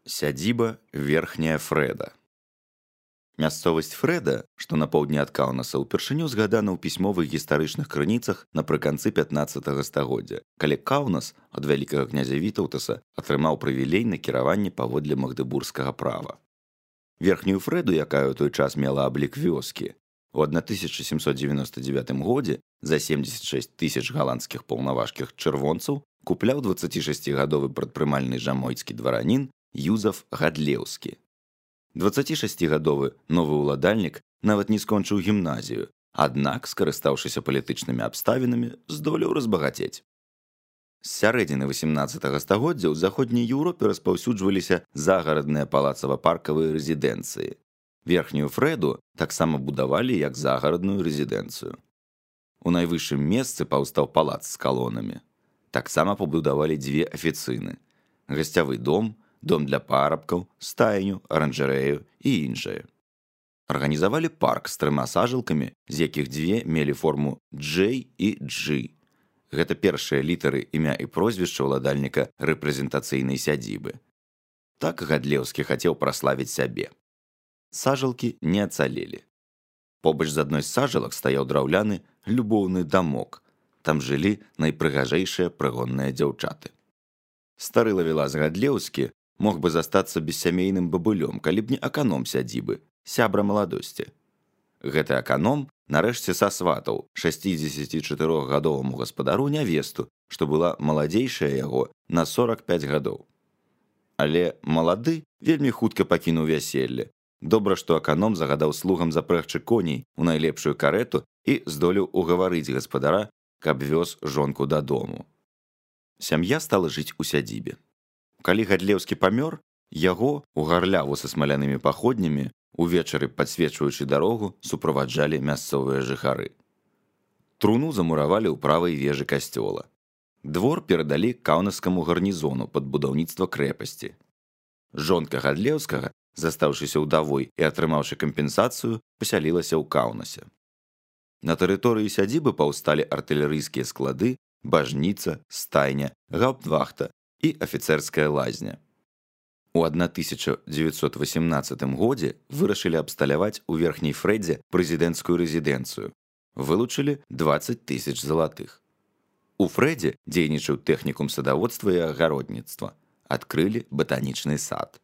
Сядзіба верхняя Фрэда. Мясцовасць Фрэда, што на поўдні ад Каўнаса, упершыню згадана ў пісьмовых гістарычных крыніцах напрыканцы 15 стагоддзя, калі Каўнас ад вялікага князя Вітаўтаса атрымаў прывілей на кіраванне паводле магдэбургскага права. Верхнюю Фрэду, якая ў той час мела аблік вёскі, у 1799 годзе за 76 тысяч галандскіх паўнаважкіх чырвонцаў купляў 26гадовы прадпрымальны жамойцкі дваранін Юзаф Гадлеўскі. 26гадовы новы ўладальнік нават не скончыў гімназію, аднак, скарыстаўшыся палітычнымі абставінамі, здолеў разбагацець. З сярэдзіны 18 стагоддзя ў заходняй Еўропе распаўсюджваліся загарадныя палацава-паркавыя рэзідэнцыі. Верхнюю Фрэду таксама будавалі як загарадную рэзідэнцыю. У найвышшым месцы паўстаў палац з калонамі. Таксама пабудавалі дзве афіцыны: гасцявы дом, дом для парабкаў, стайню, аранжарэю і іншае. Арганізавалі парк з 3 сажалкамі, з якіх 2 мелі форму J і G. Гэта першыя літары імя і прозвішча ўладальніка рэпрэзентацыйнай сядзібы. Так Гадлеўскі хацеў праславіць сябе. Сажалкі не ацалелі. Побач з адной з сажалак стаяў драўляны любоўны дамок. Там жылі найпрыгажэйшыя прыгонныя дзяўчаты. Стары лавелас Гадлеўскі мог бы застацца бессямейным бабулём, калі б не аканом сядзібы, сябра маладосці. Гэты аканом нарэшце сасватаў 64гадоваму гаспадару нявесту, што была маладзейшая яго на 45 гадоў. Але малады вельмі хутка пакінуў вяселле. Добра, што аканом загадаў слугам запрэгчы коней у найлепшую карэту і здолеў угаварыць гаспадара, каб вёз жонку дадому. Сям'я стала жыць у сядзібе. Калі Гадлеўскі памёр, яго у гарляву са смалянымі паходнямі, увечары падсвечваючы дарогу, суправаджалі мясцовыя жыхары. Труну замуравалі ў правай вежы касцёла. Двор перадалі каўнаскаму гарнізону пад будаўніцтва крэпасці. Жонка Гадлеўскага, застаўшыся ўдавой і атрымаўшы кампенсацыю, пасялілася ў Каўнасе. На тэрыторыі сядзібы паўсталі артылерыйскія склады, бажніца, стайня, гаўптвахта і афіцэрская лазня. У 1918 годзе вырашылі абсталяваць у верхняй Фрэдзе прэзідэнцкую рэзідэнцыю. Вылучылі 20 000 залатых. У Фрэдзе дзейнічаў тэхнікум садаводства і агародніцтва. Адкрылі батанічны сад.